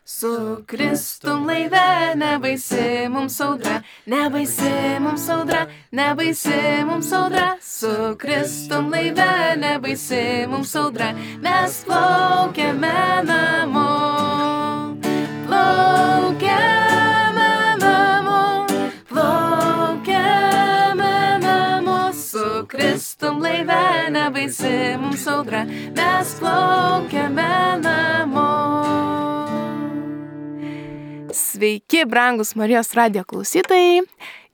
Su Kristum laive, nebaisi mums audra, nebaisi mums audra, nebaisi mums audra. Su Kristum laive, nebaisi mums audra, mes plaukiame namo. Plaukiame namo, plaukiame namo. Su Kristum laive, nebaisi mums audra, mes plaukiame namo. Sveiki, brangus Marijos radijo klausytojai.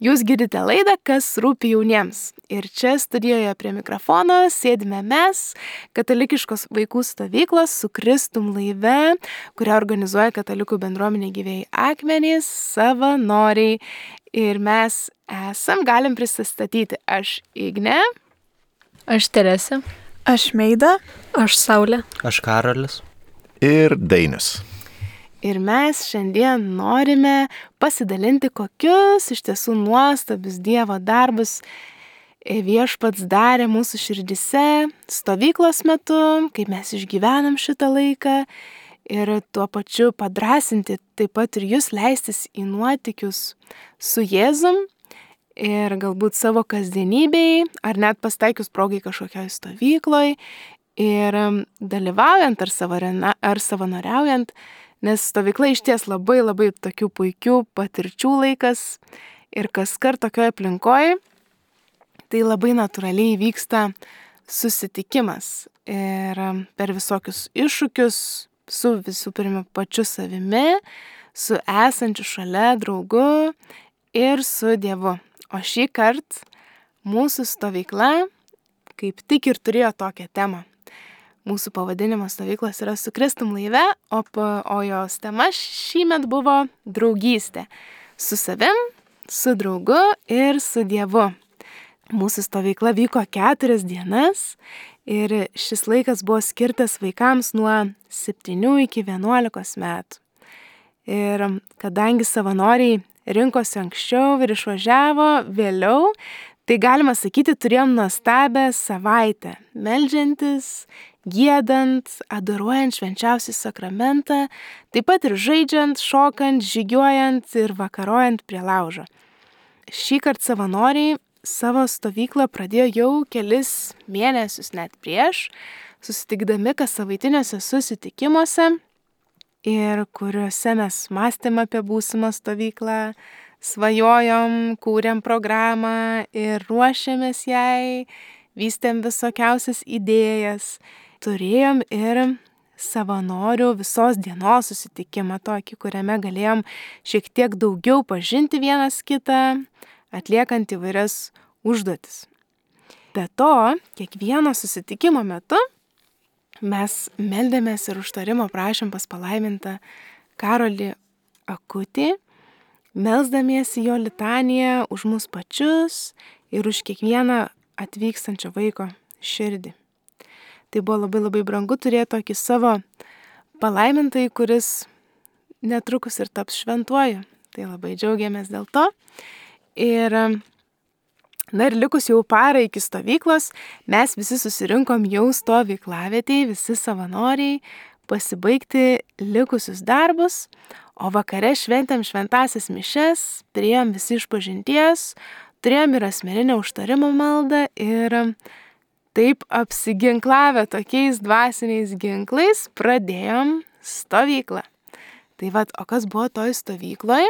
Jūs girdite laidą, kas rūpi jauniems. Ir čia studijoje prie mikrofono sėdime mes, katalikiškos vaikų stovyklos Su Kristum laive, kurią organizuoja katalikų bendruomenė Gyvieji akmenys, savanoriai. Ir mes galim prisistatyti. Aš Ignė. Aš Teresė. Aš Meida. Aš Saulė. Aš Karolis. Ir Dainius. Ir mes šiandien norime pasidalinti, kokius iš tiesų nuostabius Dievo darbus Viešpats darė mūsų širdise stovyklos metu, kaip mes išgyvenam šitą laiką ir tuo pačiu padrasinti taip pat ir jūs leistis į nuotykius su Jėzum ir galbūt savo kasdienybėj ar net pastaikius progai kažkokioj stovykloj ir dalyvaujant ar savanoriaujant. Nes stovykla išties labai tokių puikių patirčių laikas ir kaskart tokioje aplinkoje tai labai natūraliai vyksta susitikimas ir per visokius iššūkius su visų pirma pačiu savimi, su esančiu šalia draugu ir su Dievu. O šį kartą mūsų stovykla kaip tik ir turėjo tokią temą. Mūsų pavadinimas stovyklos yra Su Kristum laive, o jos tema šįmet buvo draugystė. Su savim, su draugu ir su Dievu. Mūsų stovykla vyko 4 dienas ir šis laikas buvo skirtas vaikams nuo 7 iki 11 metų. Ir kadangi savanoriai rinkosi anksčiau ir išvažiavo vėliau, tai galima sakyti, turėjom nuostabią savaitę, meldžiantis, giedant, adoruojant švenčiausią sakramentą, taip pat ir žaidžiant, šokant, žygiuojant ir vakarojant prie laužo. Šįkart savanoriai savo stovyklą pradėjo jau kelis mėnesius net prieš, susitikdami kassavaitiniuose susitikimuose ir kuriuose mes mąstėm apie būsimą stovyklą, svajojom, kūrėm programą ir ruošėmės jai, vystėm visokiausias idėjas. Turėjom ir savanorių visos dienos susitikimą tokį, kuriame galėjom šiek tiek daugiau pažinti vienas kitą, atliekant įvairias užduotis. Be to, kiekvieno susitikimo metu mes meldėmės ir užtarimo prašėm pas palaimintą Karolį Akutį, melsdamiesi jo litaniją už mus pačius ir už kiekvieną atvykstančio vaiko širdį. Tai buvo labai brangu turėti tokį savo palaimintąjį, kuris netrukus ir taps šventuoju. Tai labai džiaugiamės dėl to. Ir likus jau parą iki stovyklos, mes visi susirinkom jau stovyklavietėj, visi savanoriai, pasibaigti likusius darbus, o vakare šventėm šventąsias mišias, turėjom visi išpažinties, turėjom ir asmeninę užtarimo maldą ir taip apsiginklavę tokiais dvasiniais ginklais pradėjom stovyklą. Tai o kas buvo toj stovykloj?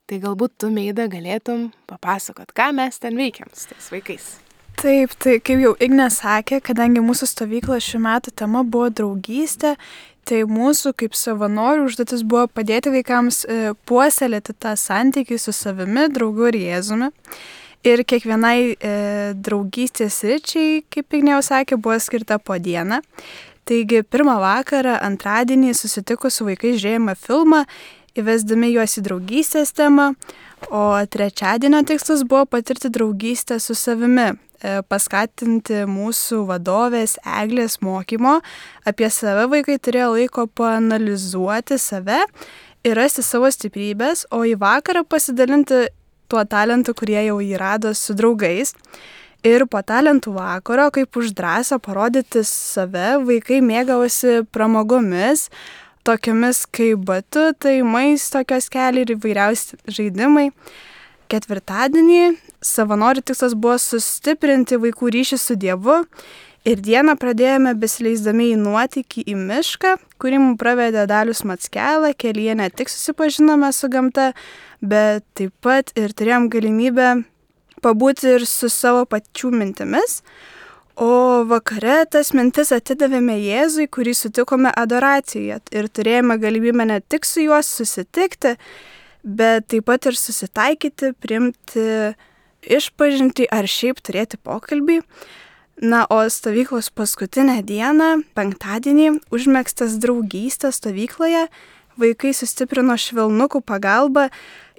Tai galbūt tu, Meida, galėtum papasakot, ką mes ten veikiam su tais vaikais. Taip, tai kaip jau Ignė sakė, kadangi mūsų stovyklos šių metų tema buvo draugystė, tai mūsų kaip savanorių užduotis buvo padėti vaikams puoselėti tą santykį su savimi, draugu ir Jėzumi. Ir kiekvienai draugystės sričiai, kaip Ignė jau sakė, buvo skirta po dieną. Taigi pirmą vakarą, antradienį susitikus su vaikais žiūrėjome filmą, įvesdami juos į draugystės temą, o trečiadienio tikslas buvo patirti draugystę su savimi, paskatinti mūsų vadovės Eglės mokymo. Apie save vaikai turėjo laiko paanalizuoti save ir rasti savo stiprybės, o į vakarą pasidalinti tuo talentu, kurie jau jį rado su draugais. Ir po talentų vakaro, kaip už drąsą parodyti save, vaikai mėgavosi pramogomis, tokiamis kaip batutai, maisto kioskeliai ir įvairiausi žaidimai. Ketvirtadienį savanorių tikslas buvo sustiprinti vaikų ryšį su Dievu ir dieną pradėjome besileisdami į nuotykį į mišką, kurį mums pravedė Dalius Mackelą. Kelyje ne tik susipažinome su gamta, bet taip pat ir turėjom galimybę pabūti ir su savo pačių mintimis. O vakare tas mintis atidavėme Jėzui, kurį sutikome adoracijoje ir turėjome galimybę ne tik su juo susitikti, bet taip pat ir susitaikyti, priimti išpažintį ar šiaip turėti pokalbį. Na, o stovyklos paskutinę dieną, penktadienį, užmegztas draugystės stovykloje, vaikai sustiprino švelnukų pagalbą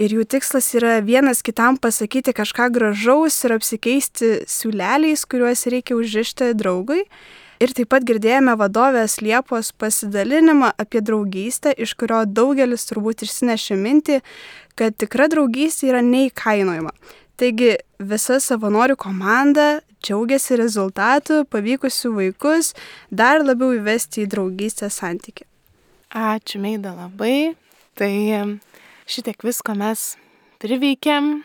ir jų tikslas yra vienas kitam pasakyti kažką gražaus ir apsikeisti siūleliais, kuriuos reikia užrišti draugui. Ir taip pat girdėjome vadovės Liepos pasidalinimą apie draugystę, iš kurio daugelis turbūt išsinešė mintį, kad tikra draugystė yra neįkainojama. Taigi visa savanorių komanda džiaugiasi rezultatu, pavykusių vaikus dar labiau įvesti į draugystės santykį. Ačiū, Meida, labai. Tai šitiek visko mes priveikėm.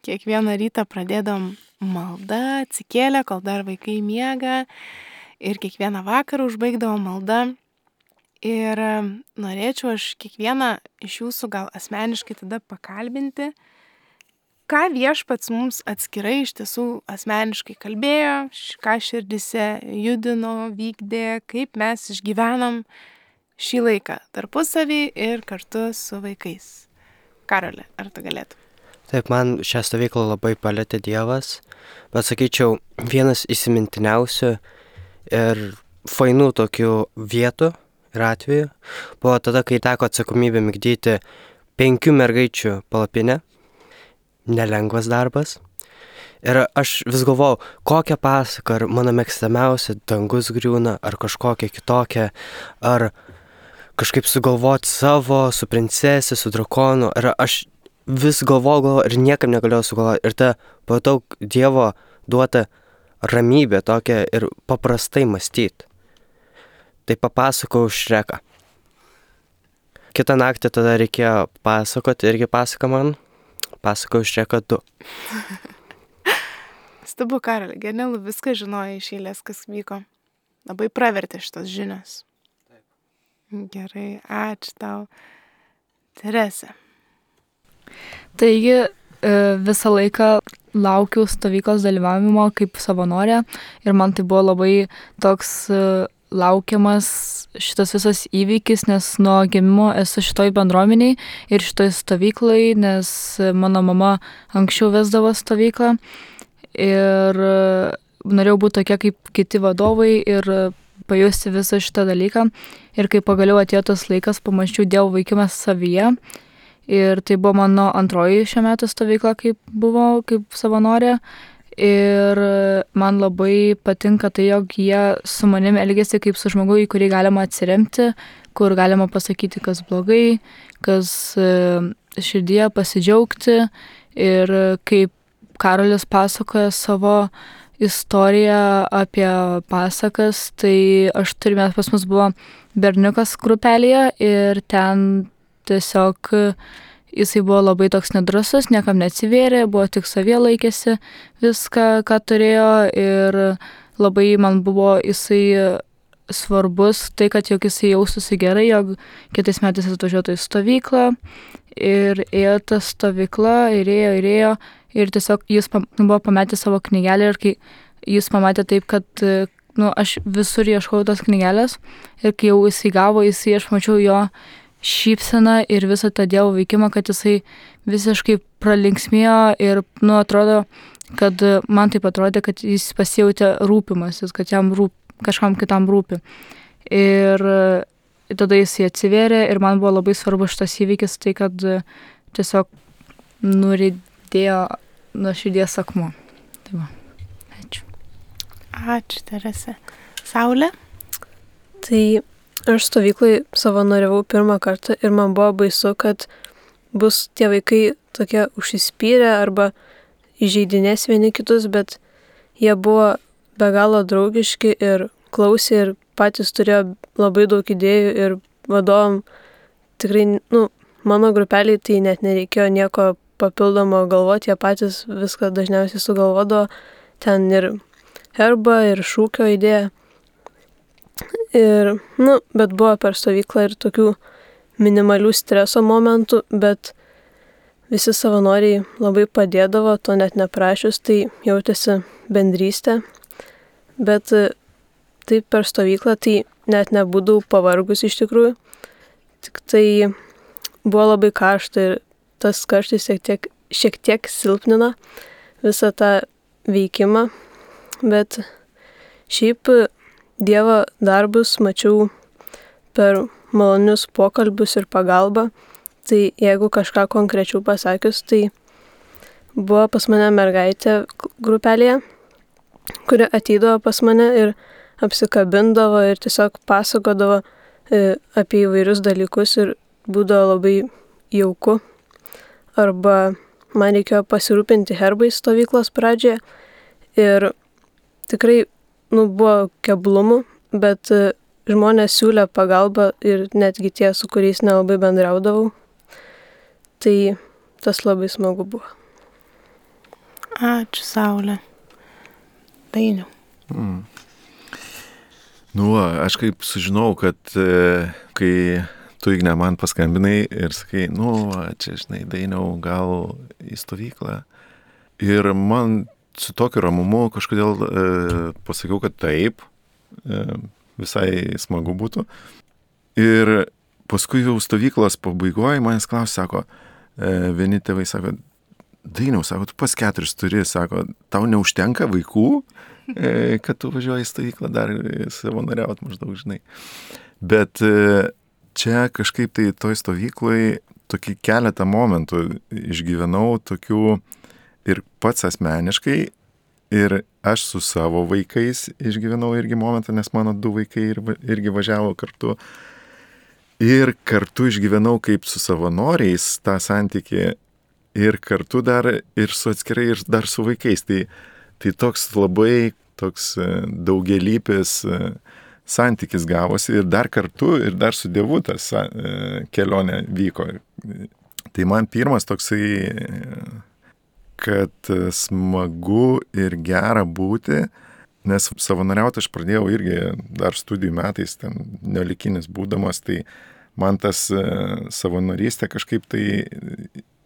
Kiekvieną rytą pradėdom maldą, atsikėlę, kol dar vaikai miega. Ir kiekvieną vakarą užbaigdavo maldą. Ir norėčiau aš kiekvieną iš jūsų gal asmeniškai tada pakalbinti, ką Viešpats mums atskirai iš tiesų asmeniškai kalbėjo, ką širdise judino, vykdė, kaip mes išgyvenom šį laiką tarpusavį ir kartu su vaikais. Karoli, ar tu galėtum? Taip, man šią stovyklą labai palėtė Dievas, bet sakyčiau, vienas įsimintiniausių ir fainų tokių vietų ir atvejų buvo tada, kai teko atsakomybę migdyti 5 mergaičių palapinę. Nelengvas darbas. Ir aš vis galvojau, kokią pasaką, ar mano mėgstamiausia Dangus griūna, ar kažkokia kitokia, ar kažkaip sugalvoti savo, su princesė, su drakonu. Ir aš vis galvojau ir niekam negalėjau sugalvoti. Ir ta pajutau Dievo duotą ramybę tokią ir paprastai mąstyti. Tai papasakau Šreką. Kitą naktį tada reikėjo pasakoti, irgi pasaka man. Pasakau Šreką 2. Stabu, Karoli, genialu, viską žinojai iš eilės, kas vyko. Labai pravertė šitos žinios. Taip. Gerai, ačiū tau. Terese. Taigi visą laiką laukiau stovyklos dalyvavimo kaip savanorė ir man tai buvo labai toks laukiamas šitas visas įvykis, nes nuo gimimo esu šitoj bendruomeniai ir šitoj stovyklai, nes mano mama anksčiau vesdavo stovyklą ir norėjau būti tokia kaip kiti vadovai ir pajusti visą šitą dalyką. Ir kai pagaliau atėjo tas laikas, pamačiau Dievo veikimą savyje. Ir tai buvo mano antroji šiuo metu stovykla, kaip savanorė. Ir man labai patinka tai, jog jie su manim elgėsi kaip su žmogu, į kurį galima atsiremti, kur galima pasakyti, kas blogai, kas širdyje pasidžiaugti. Ir kaip Karolis pasakoja savo istoriją apie pasakas, tai pas mus buvo berniukas grupelėje ir ten tiesiog jisai buvo labai toks nedrasus, niekam neatsivėrė, buvo tik savie laikėsi viską, ką turėjo ir labai man buvo jisai svarbus tai, kad jog jisai jaustųsi gerai, jog kitais metais atvažiuotų į stovyklą ir ėjo tą stovyklą ir ėjo ir tiesiog jis buvo pametęs savo knygelę ir kai jis pamatė taip, kad aš visur ieškojau tos knygelės ir kai jau jisai gavo, aš mačiau jo šypseną ir visą tą Dievo veikimą, kad jisai visiškai pralinksmėjo ir, atrodo, kad man taip atrodė, kad jis pasijautė rūpimasis, kad jam kažkam kitam rūpi. Ir tada jisai atsivėrė ir man buvo labai svarbu šitas įvykis, tai kad tiesiog nuridėjo nuo širdies akmuo. Tai va, ačiū. Ačiū, Terese. Saulė? Tai aš stovyklai savanoriavau pirmą kartą ir man buvo baisu, kad bus tie vaikai tokie užsispyrę arba įžeidinės vieni kitus, bet jie buvo be galo draugiški ir klausė ir patys turėjo labai daug idėjų ir vadovam tikrai, mano grupeliai tai net nereikėjo nieko papildomo galvoti, jie patys viską dažniausiai sugalvodavo, ten ir herbą, ir šūkio idėją. Ir, bet buvo per stovyklą ir tokių minimalių streso momentų, bet visi savanoriai labai padėdavo, to net neprašius, tai jautėsi bendrystė. Bet taip per stovyklą tai net nebūdavau pavargus iš tikrųjų. Tik tai buvo labai karšta ir tas karštis šiek tiek silpnina visą tą veikimą. Bet šiaip Dievo darbus mačiau per malonius pokalbius ir pagalbą. Tai jeigu kažką konkrečiau pasakius, tai buvo pas mane mergaitė grupelėje, kuri ateidavo pas mane ir apsikabindavo ir tiesiog pasakodavo apie įvairius dalykus ir būdavo labai jauku. Arba man reikėjo pasirūpinti herbais stovyklos pradžioje ir tikrai buvo keblumų, bet žmonės siūlė pagalbą ir netgi tie, su kuriais nelabai bendraudavau. Tai tas labai smagu buvo. Ačiū, Saulė. Dainiau. Aš kaip sužinau, kad kai tu, Igne, man paskambinai ir sakai, čia, Dainiau, gal į stovyklą. Ir man su tokiu ramumu kažkodėl pasakiau, kad taip, visai smagu būtų. Ir paskui jau stovyklos pabaigoje manęs klausė, sako, vieni tėvai sako, Dainiau, sako, tu pas 4 turi, sako, tau neužtenka vaikų, kad tu važiuoji į stovyklą dar savanoriaut maždaug, Bet čia kažkaip tai toj stovykloj tokį keletą momentų išgyvenau tokių ir pats asmeniškai, ir aš su savo vaikais išgyvenau irgi momentą, nes mano 2 vaikai irgi važiavo kartu. Ir kartu išgyvenau kaip su savanoriais tą santykį ir kartu dar ir su atskirai ir dar su vaikais. Tai toks labai daugelypis santykis gavosi ir dar kartu ir dar su Dievu tas kelionė vyko. Tai man pirmas toksai, kad smagu ir gera būti, nes savanoriauti aš pradėjau irgi dar studijų metais, ten nelikinis būdamas, tai man tas savanorystė kažkaip tai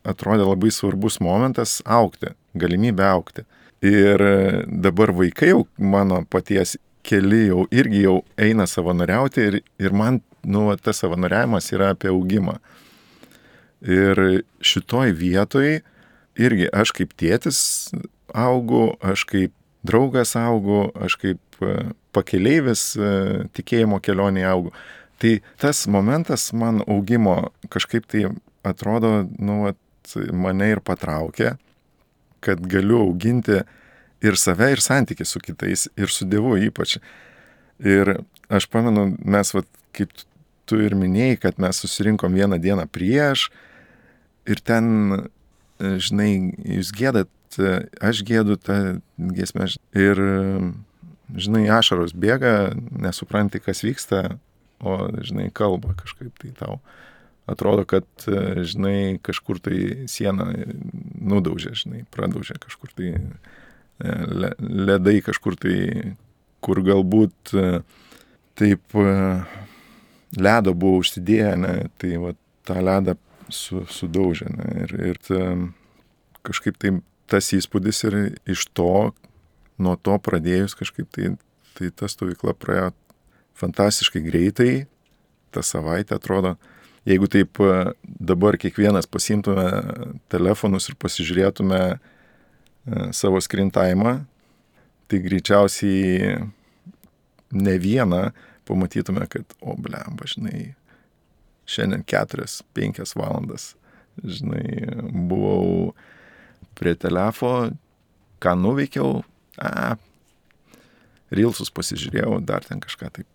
atrodė labai svarbus momentas augti, galimybė augti. Ir dabar vaikai jau mano paties keli irgi eina savanoriauti ir man, tas savanoriavimas yra apie augimą. Ir šitoj vietoj irgi aš kaip tėtis augu, aš kaip draugas augu, aš kaip pakeleivis tikėjimo kelionėje augu. Tai tas momentas man augimo kažkaip tai atrodo, mane ir patraukė, kad galiu auginti ir save, ir santykį su kitais, ir su Dievu ypač. Ir aš pamenu, mes, kaip tu ir minėjai, kad mes susirinkom vieną dieną prieš, ir ten, jūs gėdat, aš gėdu tą giesmę, ir, ašaros bėga, nesupranti, kas vyksta, o, kalba kažkaip tai tau. Atrodo, kad, kažkur tai sieną nudaužė, pradaužė kažkur tai ledai kažkur tai, kur galbūt taip ledo buvo užsidėję, tai tą ledą sudaužė. Ir kažkaip tai tas įspūdis ir iš to, nuo to pradėjus kažkaip tai ta stovykla praėjo fantastiškai greitai, tą savaitę atrodo. Jeigu taip dabar kiekvienas pasiimtume telefonus ir pasižiūrėtume savo screen time'ą, tai greičiausiai ne vieną pamatytume, kad, šiandien 4-5 valandas, buvau prie telefo, ką nuveikiau, Reelsus pasižiūrėjau, dar ten kažką taip,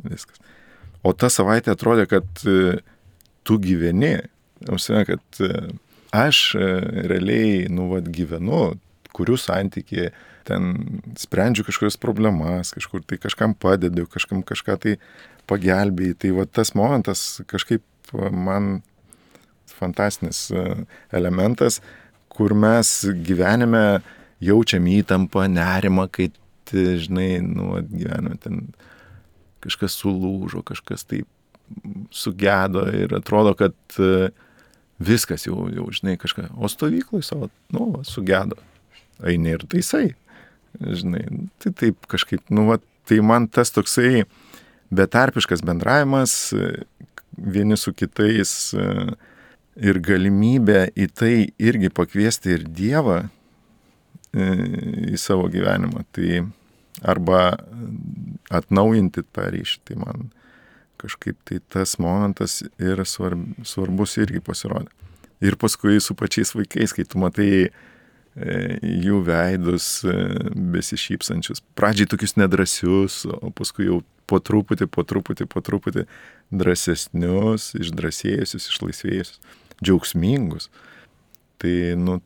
viskas. O ta savaitė atrodė, kad tu gyveni, kad aš realiai, gyvenu, kuriu santykį, ten sprendžiu kažkokias problemas, kažkur tai kažkam padedu, kažkam kažką tai pagelbėjai. Tai va tas momentas kažkaip man fantastinis elementas, kur mes gyvenime jaučiam įtampą, nerimą, kai, žinai, gyvenime ten kažkas sulūžo, kažkas tai sugedo ir atrodo, kad viskas jau žinai, kažką, o stovyklai savo, sugedo, eini ir taisai, žinai, tai taip kažkaip, tai man tas toksai betarpiškas bendravimas vieni su kitais ir galimybė į tai irgi pakviesti ir Dievą į savo gyvenimą, tai arba atnaujinti tą ryšį, tai man kažkaip tai tas momentas ir svarbus irgi pasirodė. Ir paskui su pačiais vaikais, kai tu matai jų veidus besišypsančius, pradžiai tokius nedrasius, o paskui jau po truputį drąsesnius, išdrasėjusius, išlaisvėjusius, džiaugsmingus. Tai,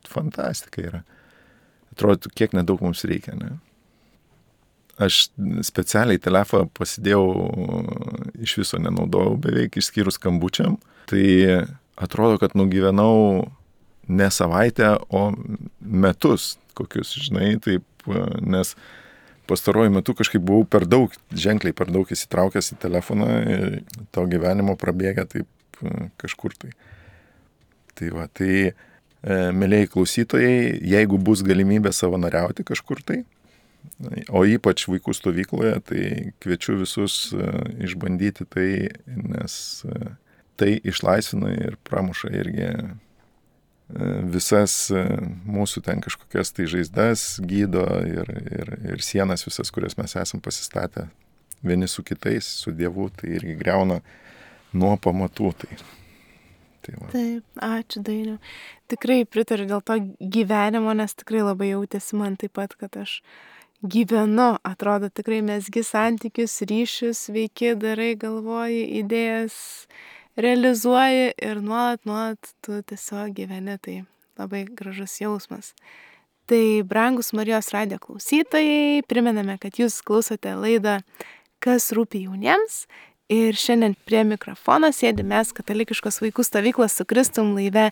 fantastika yra. Atrodo, kiek nedaug mums reikia, ne? Aš specialiai telefoną pasidėjau, iš viso nenaudojau beveik, išskyrus skambučiam. Tai atrodo, kad nugyvenau ne savaitę, o metus kokius, žinai, taip, nes pastaruoju metu kažkaip buvau ženkliai per daug įsitraukęs į telefoną ir to gyvenimo prabėgę taip kažkur tai. Tai va, mielieji klausytojai, jeigu bus galimybė savanoriauti kažkur tai, o ypač vaikų stovykloje, tai kviečiu visus išbandyti tai, nes tai išlaisvina ir pramuša irgi visas mūsų ten kažkokias tai žaizdas, gydo ir sienas visas, kurias mes esam pasistatę vieni su kitais, su Dievu, tai irgi griauna nuo pamatų. Tai va. Taip, ačiū Dainiau. Tikrai pritariu dėl to gyvenimo, nes tikrai labai jautėsi man taip pat, kad aš gyvenu, atrodo tikrai mesgi santykius, ryšius, veiki, darai, galvoji, idėjas, realizuoji ir nuolat tu tiesiog gyveni, tai labai gražus jausmas. Tai brangus Marijos radijo klausytojai, primename, kad jūs klausote laidą Kas rūpi jauniems ir šiandien prie mikrofono sėdi mes katalikiškos vaikų stovyklos Su Kristum laive,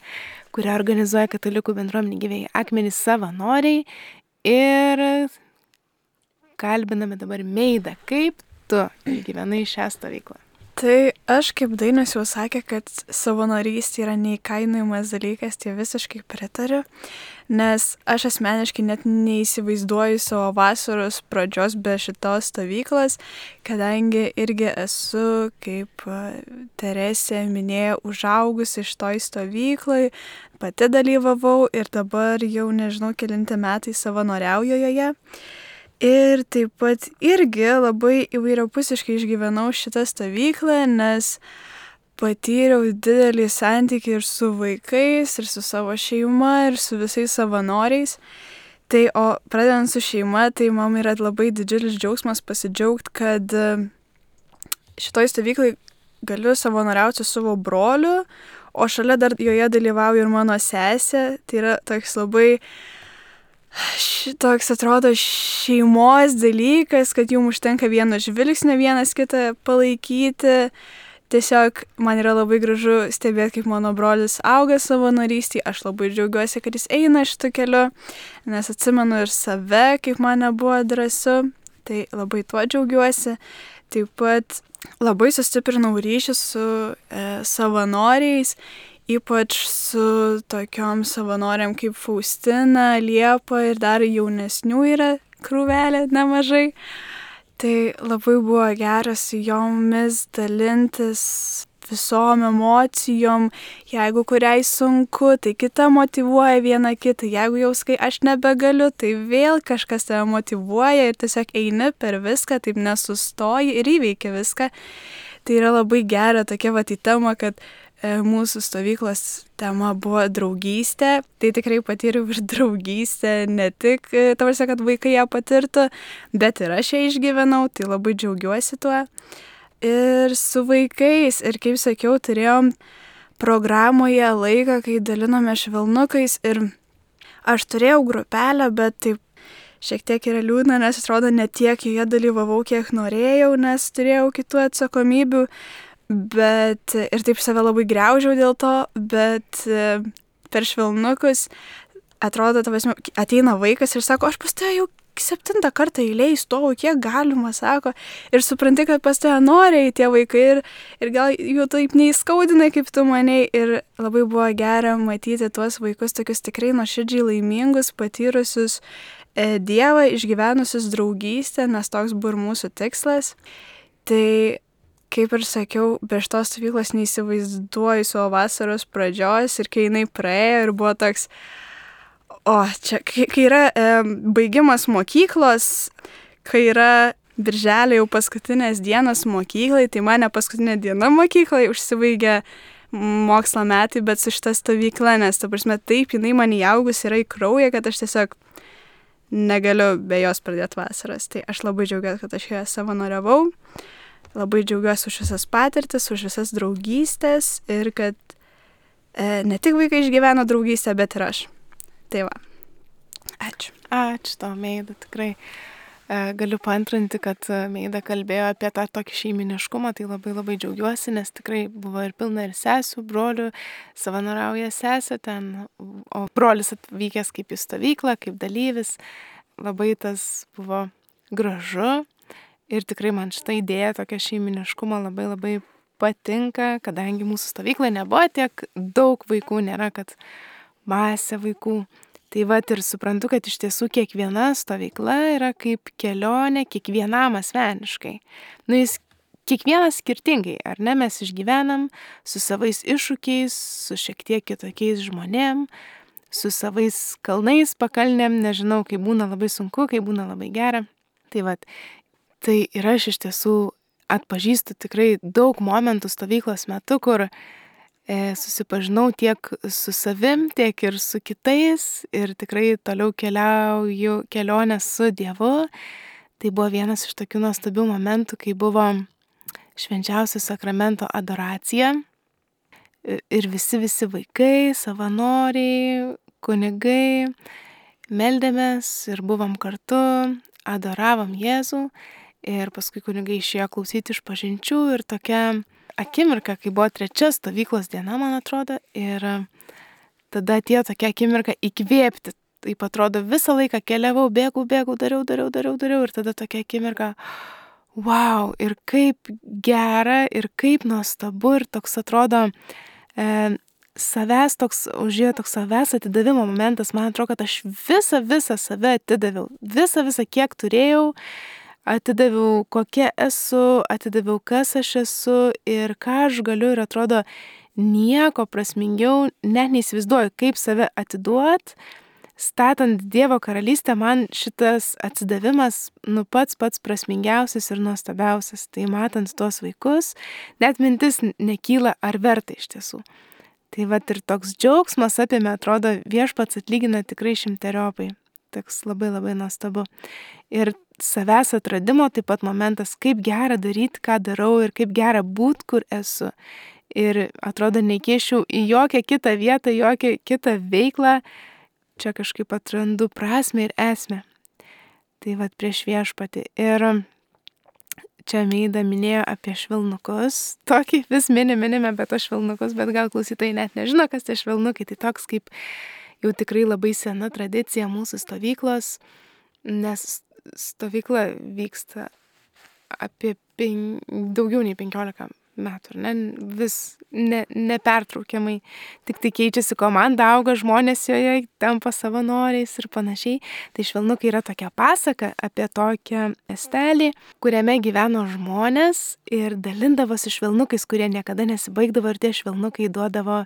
kurią organizuoja katalikų bendruomenė Gyvieji Akmenys savanoriai ir kalbiname dabar Meidą, kaip tu gyvenai šią stovyklą. Tai aš, kaip Dainius jau sakė, kad savanorystė yra neįkainojamas dalykas, tai visiškai pritariu, nes aš asmeniškai net neįsivaizduoju savo vasaros pradžios be šitos stovyklos, kadangi irgi esu, kaip Teresė minėjo, užaugusi šitoj stovyklai, pati dalyvavau ir dabar jau nežinau kelinti metai savanoriauju joje. Ir taip pat irgi labai įvairiapusiškai išgyvenau šitą stovyklą, nes patyriau didelį santykį ir su vaikais, ir su savo šeima, ir su visais savanoriais. Tai, o pradedant su šeima, tai man yra labai didžiulis džiaugsmas pasidžiaugti, kad šitoj stovyklai galiu savanoriauti su savo broliu, o šalia dar joje dalyvauja ir mano sesė. Tai yra toks labai šitoks atrodo šeimos dalykas, kad jums užtenka vieno žvilgsnio vienas kitą palaikyti. Tiesiog man yra labai gražu stebėti, kaip mano brolis auga savanorystėje. Aš labai džiaugiuosi, kad jis eina šitu keliu, nes atsimenu ir save, kaip man nebuvo drąsu. Tai labai tuo džiaugiuosi. Taip pat labai sustiprinau ryšį su savanoriais, ypač su tokiom savanoriam kaip Faustina, Liepa ir dar jaunesnių yra krūvelė nemažai. Tai labai buvo gera su jomis dalintis visom emocijom. Jeigu kuriai sunku, tai kita motyvuoja vieną kitą. Jeigu jau skai aš nebegaliu, tai vėl kažkas tave motyvuoja ir tiesiog eini per viską, taip nesustoji ir įveiki viską. Tai yra labai gera tokia tema, kad mūsų stovyklos tema buvo draugystė. Tai tikrai patyriau ir draugystę, ne tik tarsi, kad vaikai ją patirtų, bet ir aš ją išgyvenau, tai labai džiaugiuosi tuo. Ir su vaikais, ir kaip sakiau, turėjom programoje laiką, kai dalinome švelnukais ir aš turėjau grupelę, bet taip šiek tiek yra liūdna, nes atrodo ne tiek joje dalyvavau, kiek norėjau, nes turėjau kitų atsakomybių, bet ir taip save labai griaužiau dėl to, bet per švelnukus atrodo, ateina vaikas ir sako, aš pas tave jau 7 kartą eilėj stovau, kiek galima, sako, ir supranti, kad pas tave noriai tie vaikai ir gal jų taip neįskaudina, kaip tu manei, ir labai buvo gera matyti tuos vaikus tokius tikrai nuoširdžiai laimingus, patyrusius Dievą, išgyvenusius draugystę, nes toks buvo ir mūsų tikslas. Tai, kaip ir sakiau, be šitos stovyklos neįsivaizduoju savo vasaros pradžios ir kai jinai praėjo ir buvo toks, čia, kai yra baigimas mokyklos, kai yra birželio jau paskutinės dienos mokyklai, tai mane paskutinė diena mokyklai užsibaigia mokslo metai, bet su šita stovykla, nes, ta prasme, taip, jinai man įaugus yra į kraują, kad aš tiesiog negaliu be jos pradėti vasaras. Tai aš labai džiaugiuosi, kad aš joje savanoriavau, labai džiaugiuosi už visas patirtis, už visas draugystės ir kad ne tik vaikai išgyveno draugystę, bet ir aš. Tai va. Ačiū. Ačiū tau, Meida, tikrai. Galiu paantrinti, kad Meida kalbėjo apie tą tokį šeiminiškumą, tai labai labai džiaugiuosi, nes tikrai buvo ir pilna ir sesių, brolių, savanoriauja sesė ten, o brolis atvykęs kaip į stovyklą, kaip dalyvis. Labai tas buvo gražu ir tikrai man šitą idėją, tokia šeiminiškumo labai labai patinka, kadangi mūsų stovykla nebuvo tiek daug vaikų, nėra, kad masė vaikų. Tai vat ir suprantu, kad iš tiesų kiekviena stovykla yra kaip kelionė kiekvienam asmeniškai. Jis kiekvienas skirtingai, ar ne, mes išgyvenam su savais iššūkiais, su šiek tiek kitokiais žmonėm, su savais kalnais, pakalnėm, nežinau, kai būna labai sunku, kai būna labai gera. Tai vat, tai ir aš iš tiesų atpažįstu tikrai daug momentų stovyklos metu, kur susipažinau tiek su savim, tiek ir su kitais ir tikrai toliau keliauju kelionę su Dievu. Tai buvo vienas iš tokių nuostabių momentų, kai buvo švenčiausio sakramento adoracija ir visi vaikai, savanoriai, kunigai, meldėmės ir buvom kartu, adoravom Jėzų ir paskui kunigai išėjo klausyti išpažinčių ir tokia akimirka, kai buvo 3 stovyklos diena, man atrodo, ir tada atėjo tokia akimirka įkvėpti. Taip atrodo, visą laiką keliavau, bėgau, dariau ir tada tokia akimirka, wow, ir kaip gera, ir kaip nuostabu, ir toks atrodo, savęs toks, užėjo toks savęs atidavimo momentas, man atrodo, kad aš visą save atidaviau, visą, kiek turėjau, atidaviau, kokia esu, atidaviau, kas aš esu ir ką aš galiu ir atrodo nieko prasmingiau, net neįsivaizduoju, kaip save atiduot. Statant Dievo karalystę, man šitas atsidavimas pats prasmingiausias ir nuostabiausias. Tai matant tuos vaikus, net mintis nekyla, ar verta iš tiesų. Tai vat ir toks džiaugsmas apėmė, atrodo, viešpats atlygina tikrai 100-eriopai. Toks labai labai nuostabu. Ir savęs atradimo taip pat momentas, kaip gera daryti, ką darau ir kaip gera būti, kur esu. Ir atrodo, neįkėšiau į jokią kitą vietą, jokią kitą veiklą. Čia kažkaip atrandu prasmę ir esmę. Tai vat prieš viešpatį. Ir čia Meida minėjo apie švelnukus. Tokį vis minime apie tos švelnukus, bet gal klausytojai net nežino, kas tie švelnukai. Tai toks kaip jau tikrai labai sena tradicija mūsų stovyklos, nes stovykla vyksta apie daugiau nei 15 metų, vis nepertraukiamai, tik tai keičiasi komanda, auga žmonės joje, tampa savanoriais ir panašiai. Tai švelnukai yra tokia pasaka apie tokią miestelį, kuriame gyveno žmonės ir dalindavosi švelnukais, kurie niekada nesibaigdavo ir tie švelnukai duodavo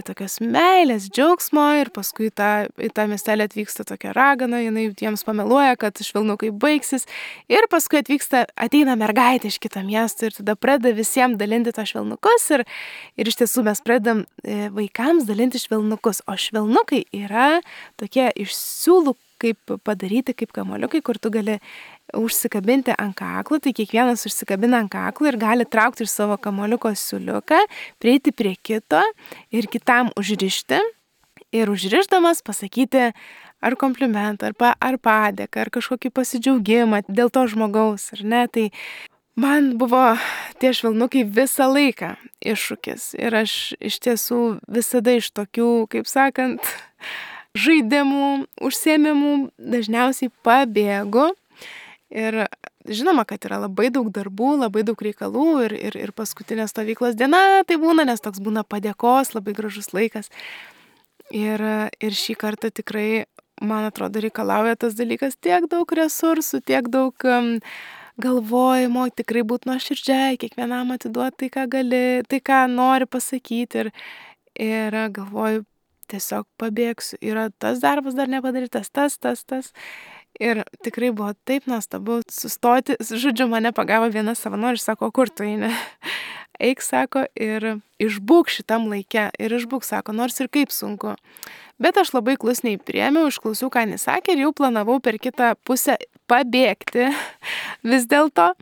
tokios meilės, džiaugsmo ir paskui į tą miestelį atvyksta tokia ragana, jinai jiems pameluoja, kad švelnukai baigsis ir paskui ateina mergaitė iš kito miesto ir tada pradeda visiems dalinti tą švelnukus ir iš tiesų mes pradedam vaikams dalinti švelnukus, o švelnukai yra tokie iš siūlų kaip padaryti kaip kamuoliukai, kur tu gali užsikabinti ant kaklo, tai kiekvienas užsikabina ant kaklo ir gali traukti iš savo kamuoliuko siūliuką, prieiti prie kito ir kitam užrišti ir užrišdamas pasakyti ar komplimentą, ar padėką, ar kažkokį pasidžiaugimą dėl to žmogaus, ar ne? Tai man buvo tie švelnukai visą laiką iššūkis ir aš iš tiesų visada iš tokių, kaip sakant, žaidimų, užsiėmimų dažniausiai pabėgu. Ir žinoma, kad yra labai daug darbų, labai daug reikalų ir paskutinė stovyklos diena tai būna, nes toks būna padėkos, labai gražus laikas. Ir šį kartą tikrai, man atrodo, reikalauja tas dalykas tiek daug resursų, tiek daug galvojimo, tikrai būti nuoširdžiai, kiekvienam atiduoti tai, ką gali, tai, ką nori pasakyti. Ir galvoju, tiesiog pabėgsiu. Yra tas darbas dar nepadarytas, tas. Ir tikrai buvo taip nuostabu sustoti. Žodžiu, mane pagavo viena savanorė ir sako, kur tu eini? Eik, sako, ir išbūk šitam laike. Ir išbūk, sako, nors ir kaip sunku. Bet aš labai klusniai priėmiau, išklausiau, ką jis sakė ir jau planavau per kitą pusę pabėgti vis dėlto.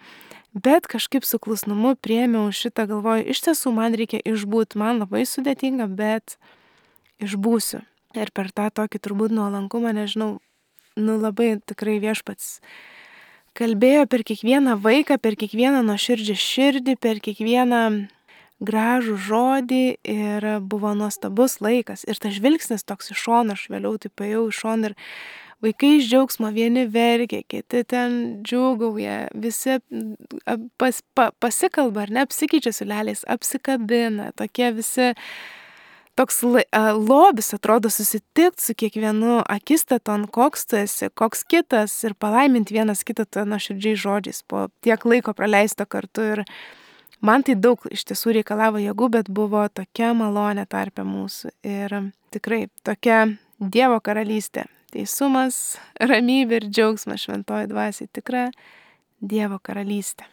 Bet kažkaip su klusnumu priėmiau šitą, galvoju, iš tiesų man reikia išbūti, man labai sudėtinga, bet išbūsiu. Ir per tą tokį turbūt nuolankumą, nežinau, labai tikrai Viešpats kalbėjo per kiekvieną vaiką, per kiekvieną nuoširdžią širdį, per kiekvieną gražų žodį ir buvo nuostabus laikas. Ir tas žvilgsnis toks iš šono, aš vėliau taip paėjau iš šono ir vaikai iš džiaugsmo, vieni verkia, kiti ten džiūgauja, visi pasikalba, ar ne, apsikeičia siūleliais, apsikabina, tokie visi. Toks lobis atrodo susitikti su kiekvienu akistaton, koks tu esi, koks kitas ir palaiminti vienas kitą nuoširdžiai žodžiais po tiek laiko praleisto kartu. Ir man tai daug iš tiesų reikalavo jėgų, bet buvo tokia malonė tarpe mūsų. Ir tikrai tokia Dievo karalystė, teisumas, ramybė ir džiaugsmas šventoji dvasiai, tikra Dievo karalystė.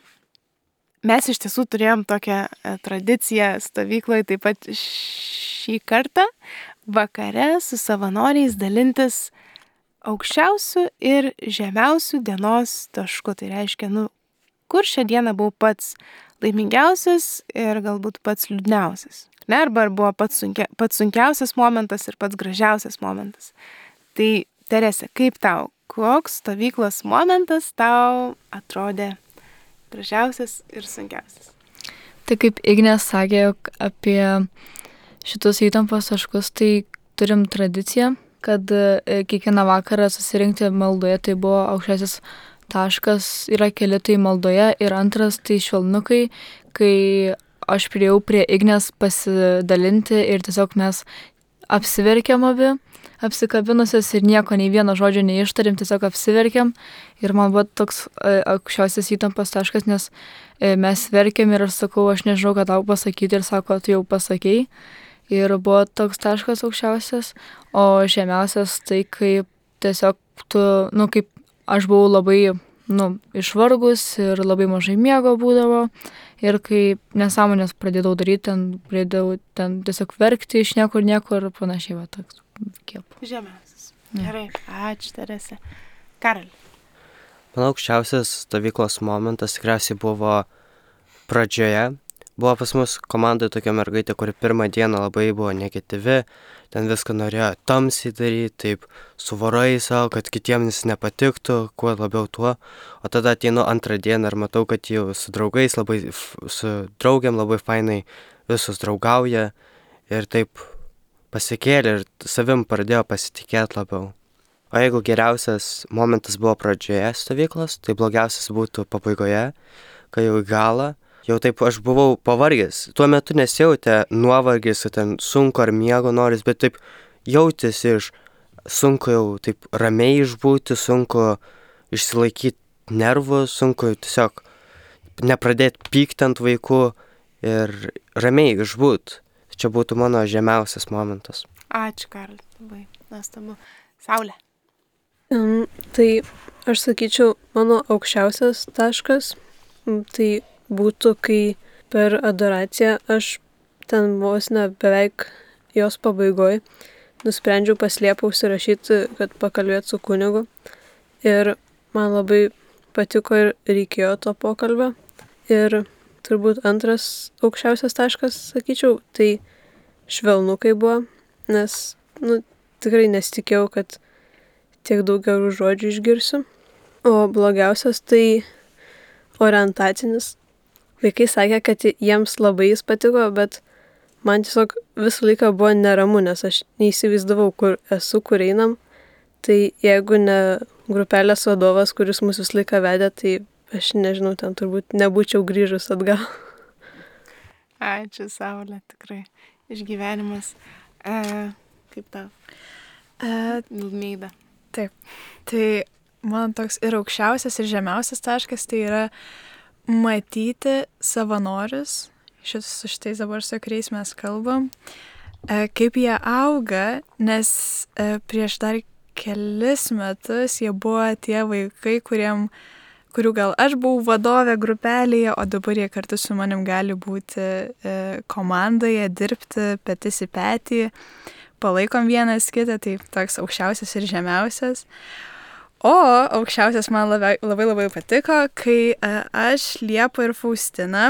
Mes iš tiesų turėjom tokią tradiciją stovykloje, taip pat šį kartą vakare su savanoriais dalintis aukščiausių ir žemiausių dienos taškų. Tai reiškia, kur šią dieną buvau pats laimingiausias ir galbūt pats liūdniausias. Ne, arba buvo pats sunkiausias momentas ir pats gražiausias momentas. Tai Terese, kaip tau, koks stovyklos momentas tau atrodė gražiausias ir sunkiausias? Tai kaip Ignė sakė apie šitus įtampos taškus, tai turim tradiciją, kad kiekvieną vakarą susirinkti maldoje, tai buvo aukščiausias taškas, yra keli tai maldoje ir antras tai švelnukai, kai aš priėjau prie Ignės pasidalinti ir tiesiog mes apsiverkėm abi, apsikabinusios ir nieko, nei vieno žodžio neištarėm, tiesiog apsiverkėm ir man buvo toks aukščiausias įtampos taškas, nes mes verkėm ir aš sakau, aš nežinau, ką tau pasakyti ir sako, tu jau pasakei ir buvo toks taškas aukščiausias, o žemiausias tai kaip tiesiog tu, kaip aš buvau labai, išvargus ir labai mažai miego būdavo ir kai nesąmonės pradėdavau daryti, pradėdavau tiesiog verkti iš niekur ir panašiai, va toks kiep. Žemiausias. Gerai, ačiū Terese. Karali. Manau, aukščiausias stovyklos momentas tikriausiai buvo pradžioje. Buvo pas mus komandoje tokia mergaitė, kuri pirmą dieną labai buvo negatyvi, ten viską norėjo tamsiai daryti, taip suvarai savo, kad kitiems nepatiktų, kuo labiau tuo. O tada ateinu antrą dieną ir matau, kad jau su draugais, su draugiam labai fainai visus draugauja ir taip pasikėlė ir savim pradėjo pasitikėti labiau. O jeigu geriausias momentas buvo pradžioje stovyklos, tai blogiausias būtų pabaigoje, kai jau į galą. Jau taip aš buvau pavargęs. Tuo metu nesijautė nuovargis, kad ten sunku ar miego noris, bet taip jautėsi sunku jau taip ramiai išbūti, sunku išsilaikyti nervus, sunku tiesiog nepradėti pykti ant vaikų ir ramiai išbūti. Čia būtų mano žemiausias momentas. Ačiū, Karli, labai nuostabu. Saulė. Tai aš sakyčiau, mano aukščiausias taškas, tai būtų, kai per adoraciją aš ten vos ne beveik jos pabaigoj nusprendžiau paslėpau užsirašyti, kad pakalbėti su kunigu. Ir man labai patiko ir reikėjo to pokalbio. Ir turbūt antras aukščiausias taškas, sakyčiau, tai švelnukai buvo, nes tikrai nesitikėjau, kad tiek daug gerų žodžių išgirsiu. O blogiausias tai orientacinis. Vaikai sakė, kad jiems labai jis patiko, bet man tiesiog visą laiką buvo neramu, nes aš neįsivaizdavau, kur esu, kur einam. Tai jeigu ne grupelės vadovas, kuris mus visą laiką vedė, tai aš nežinau, ten turbūt nebūčiau grįžus atgal. Ačiū, Saulė, tikrai. Išgyvenimas. Kaip tau? Milmeida. Taip. Tai man toks ir aukščiausias, ir žemiausias taškas tai yra matyti savanorius, su šitais dabar su kuriais mes kalbam, kaip jie auga, nes prieš dar kelis metus jie buvo tie vaikai, kurių gal aš buvau vadovė grupelėje, o dabar jie kartu su manim gali būti komandoje, dirbti petis į petį, palaikom vienas kitą, tai toks aukščiausias ir žemiausias. O aukščiausias man labai patiko, kai aš, Liepa ir Faustina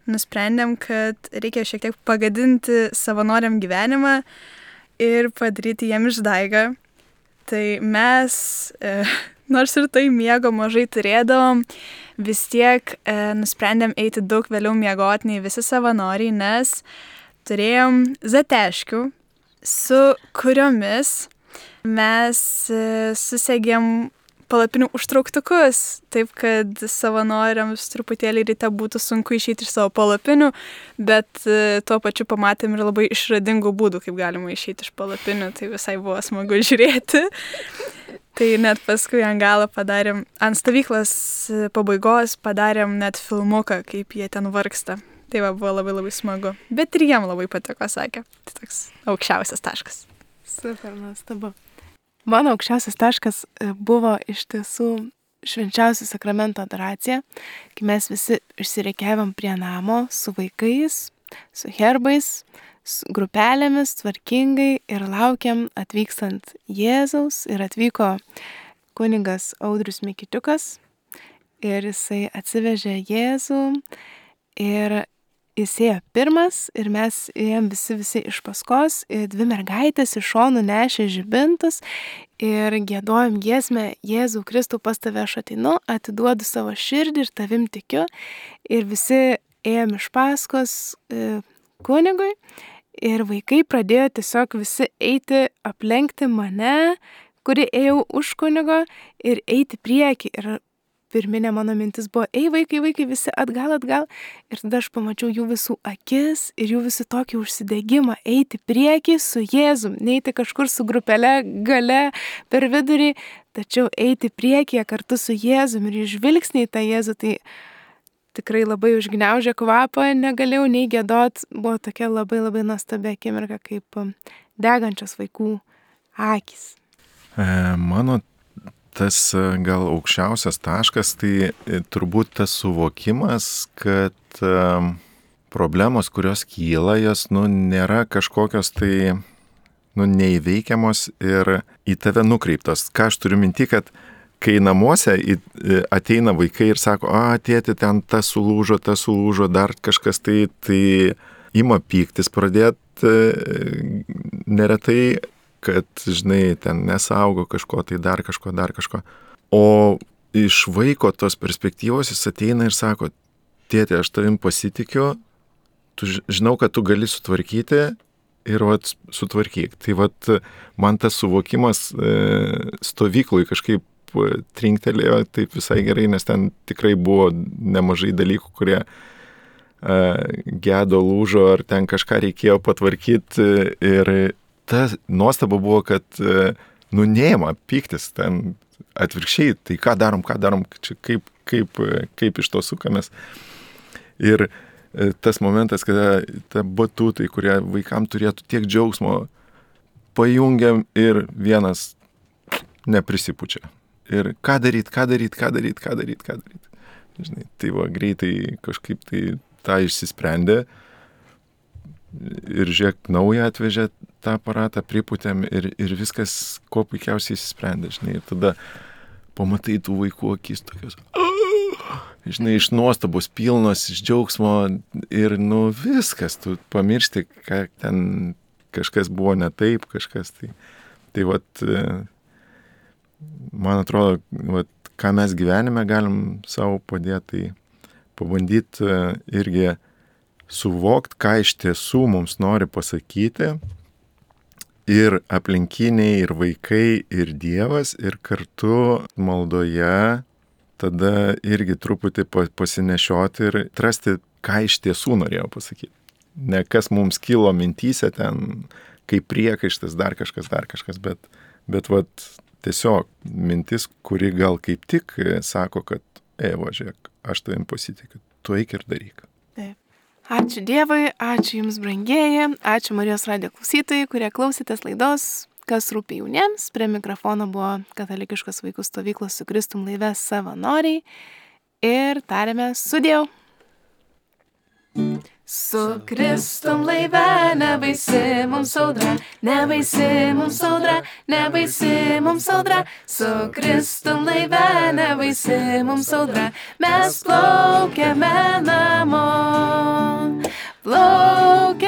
nusprendėm, kad reikia šiek tiek pagadinti savanoriam gyvenimą ir padaryti jiem išdaigą. Tai mes, nors ir tai miego mažai turėdavom, vis tiek nusprendėm eiti daug vėliau miegoti nei visi savanoriai, nes turėjom zateškių, su kuriomis mes susegėm palapinių užtrauktukus, taip kad savanoriams truputėlį ryte būtų sunku išeiti iš savo palapinių, bet tuo pačiu pamatėm ir labai išradingų būdų, kaip galima išeiti iš palapinių, tai visai buvo smagu žiūrėti. Tai net paskui ant galo padarėm, ant stovyklos pabaigos padarėm net filmuką, kaip jie ten vargsta. Tai buvo labai smagu, bet ir jiem labai patiko, sakė. Tai toks aukščiausias taškas. Super, nuostabu. Mano aukščiausias taškas buvo iš tiesų švenčiausių sakramento adoracija, kai mes visi išsireikiavom prie namo su vaikais, su herbais, su grupelėmis, tvarkingai ir laukiam atvykstant Jėzaus. Ir atvyko kunigas Audrius Mikitiukas ir jisai atsivežė Jėzų ir jis ėjo pirmas ir mes ėjom visi iš paskos, dvi mergaitės iš šonų nešė žibintus ir giedojom giesmę Jėzau Kristau, pas tave aš ateinu, atiduodu savo širdį ir tavim tikiu. Ir visi ėjom iš paskos kunigui ir vaikai pradėjo tiesiog visi eiti, aplenkti mane, kuri ėjau už kunigo ir eiti prieki. Ir pirminė mano mintis buvo, vaikai, visi atgal. Ir tada aš pamačiau jų visų akis ir jų visų tokį užsidegimą eiti prieki su Jėzum, neiti kažkur su grupele gale per vidurį, tačiau eiti priekyje kartu su Jėzum ir žvilgsniai tą Jėzų, tai tikrai labai užgniaužė kvapą, negalėjau nei giedot, buvo tokia labai nuostabi akimirka, kaip degančios vaikų akys. Mano tas gal aukščiausias taškas, tai turbūt tas suvokimas, kad problemos, kurios kyla, jos nėra kažkokios tai neįveikiamos ir į tave nukreiptos. Ką aš turiu minti, kad kai namuose ateina vaikai ir sako, tėti, ten tas sulūžo, dar kažkas tai ima pyktis pradėti neretai, kad, žinai, ten nesaugo kažko, tai dar kažko. O iš vaiko tos perspektyvos jis ateina ir sako, tėti, aš tavim pasitikiu, žinau, kad tu gali sutvarkyti ir sutvarkyk. Tai man tas suvokimas stovyklui kažkaip trinktelėjo taip visai gerai, nes ten tikrai buvo nemažai dalykų, kurie gedo, lūžo, ar ten kažką reikėjo patvarkyti ir ta nuostaba buvo, kad neima pyktis, ten atvirkščiai, tai ką darom, čia kaip iš to sukamės. Ir tas momentas, kada ta batutai, kurie vaikam turėtų tiek džiaugsmo, pajungiam ir vienas neprisipučia. Ir ką daryt. Žinai, tai greitai kažkaip tai tą išsisprendė. Ir žiūrėk, naują atvežė tą aparatą, pripūtėm ir viskas kuo puikiausiai išsisprendė, žinai. Ir tada pamatai tų vaikų akis tokios, žinai, iš nuostabos pilnos, iš džiaugsmo ir viskas, tu pamiršti, ką ten kažkas buvo ne taip, kažkas tai. Tai vat, man atrodo, vat, ką mes gyvenime galim savo padėti, tai pabandyti irgi suvokti, ką iš tiesų mums nori pasakyti ir aplinkiniai, ir vaikai, ir Dievas, ir kartu maldoje tada irgi truputį pasinešioti ir atrasti, ką iš tiesų norėjo pasakyti. Ne kas mums kilo mintyse ten, kaip priekaištas, dar kažkas, bet vat, tiesiog mintis, kuri gal kaip tik sako, kad žiūrėk, aš tavim pasitikiu, tu eik ir daryk. Taip. Ačiū Dievui, ačiū Jums brangieji, ačiū Marijos radijo klausytojai, kurie klausytės laidos, kas rūpi jauniems. Prie mikrofono buvo katalikiškos vaikų stovyklos Su Kristum laive savanoriai ir tarėme sudiev. Su Kristum laive nebaisi mums audra, nebaisi mums audra, nebaisi mums audra. Su Kristum laive nebaisi mums audra, mes plaukiame namo, plaukiame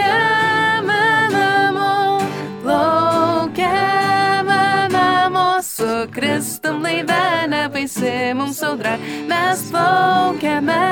namo, plaukiame namo. Su Kristum laive nebaisi mums audra, mes plaukiame